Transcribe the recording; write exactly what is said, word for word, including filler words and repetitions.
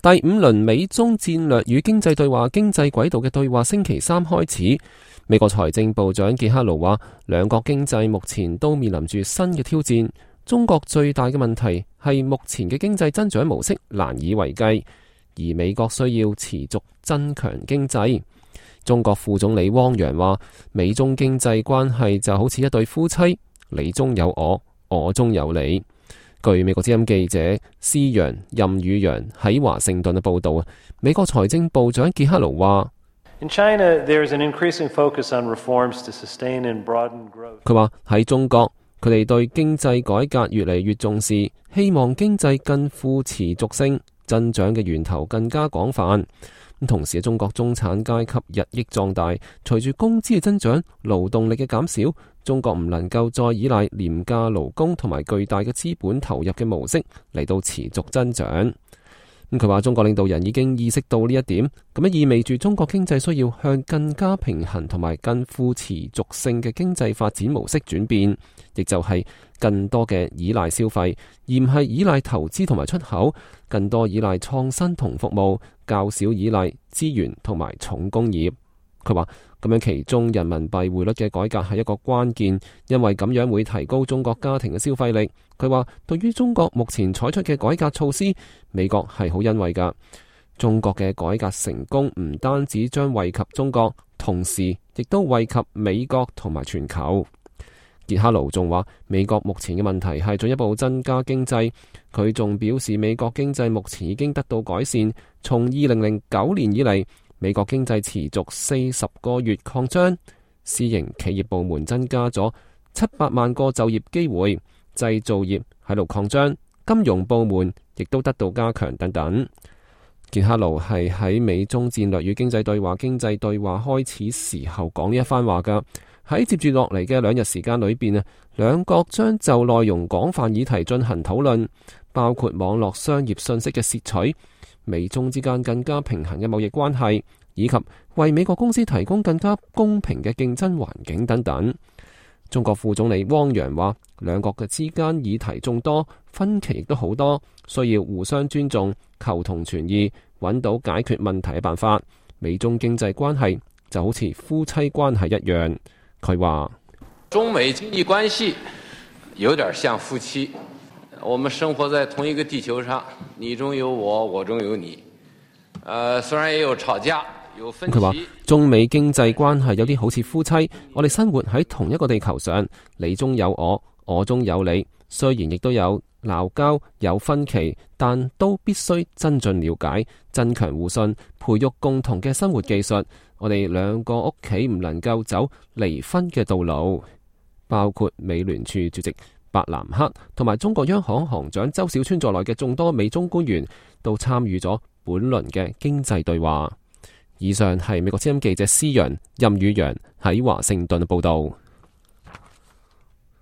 第五輪美中戰略與經濟對話經濟軌道嘅對話星期三開始。美國財政部長傑克盧話，兩國經濟目前都面臨住新嘅挑戰。中國最大嘅問題係目前嘅經濟增長模式難以為繼，而美國需要持續增強經濟。中國副總理汪洋話，美中經濟關係就好似一對夫妻，你中有我，我中有你。據美國之音記者施陽任宇陽喺華盛頓嘅報道，美國財政部長傑克盧話，佢話喺中國，佢哋對經濟改革越嚟越重視，希望經濟更富持續性，增長嘅源頭更加廣泛。同時，中國中產階級日益壯大，隨住工資嘅增長、勞動力嘅減少，中國唔能夠再依賴廉價勞工同埋巨大嘅資本投入嘅模式嚟到持續增長。咁佢話，中國領導人已經意識到呢一點，咁樣意味住中國經濟需要向更加平衡同埋更富持續性嘅經濟發展模式轉變，亦就係更多嘅依賴消費，而唔係依賴投資同埋出口，更多依賴創新同服務，較少依賴資源同埋重工業。佢話咁樣其中人民幣匯率嘅改革係一個關鍵，因為咁樣會提高中國家庭嘅消費力。佢話對於中國目前採取嘅改革措施，美國係好欣慰㗎。中國嘅改革成功唔單止將惠及中國，同時亦都惠及美國同埋全球。傑克盧仲話，美國目前嘅問題係進一步增加經濟。佢仲表示，美國經濟目前已經得到改善。從二零零九年以嚟，美國經濟持續四十個月擴張，私營企業部門增加咗七百萬個就業機會，製造業喺度擴張，金融部門亦都得到加強等等。傑克盧係喺美中戰略與經濟對話經濟對話開始時候講呢一番話噶。喺接住落嚟嘅兩日時間裏邊啊，兩國將就內容廣泛議題進行討論，包括網絡商業信息嘅竊取、美中之間更加平衡嘅貿易關係，以及為美國公司提供更加公平嘅競爭環境等等。中國副總理汪洋話，兩國嘅之間議題眾多，分歧亦都好多，需要互相尊重、求同存異，揾到解決問題嘅辦法。美中經濟關係就好似夫妻關係一樣。佢話，中美經濟關係有點像夫妻，我們生活在同一個地球上，你中有我，我中有你。呃，雖然也有吵架，有分歧。佢話中美經濟關係有啲好似夫妻，我哋生活喺同一個地球上，你中有我，我中有你。雖然亦都有鬧交、有分歧，但都必須增進了解，增強互信，培育共同嘅生活技術。我哋兩個屋企唔能夠走離婚嘅道路。包括美聯儲主席伯南克同埋中國央行行長周小川在內嘅眾多美中官員都參與咗本輪嘅經濟對話。以上係美國之音記者施陽任宇陽喺華盛頓報道。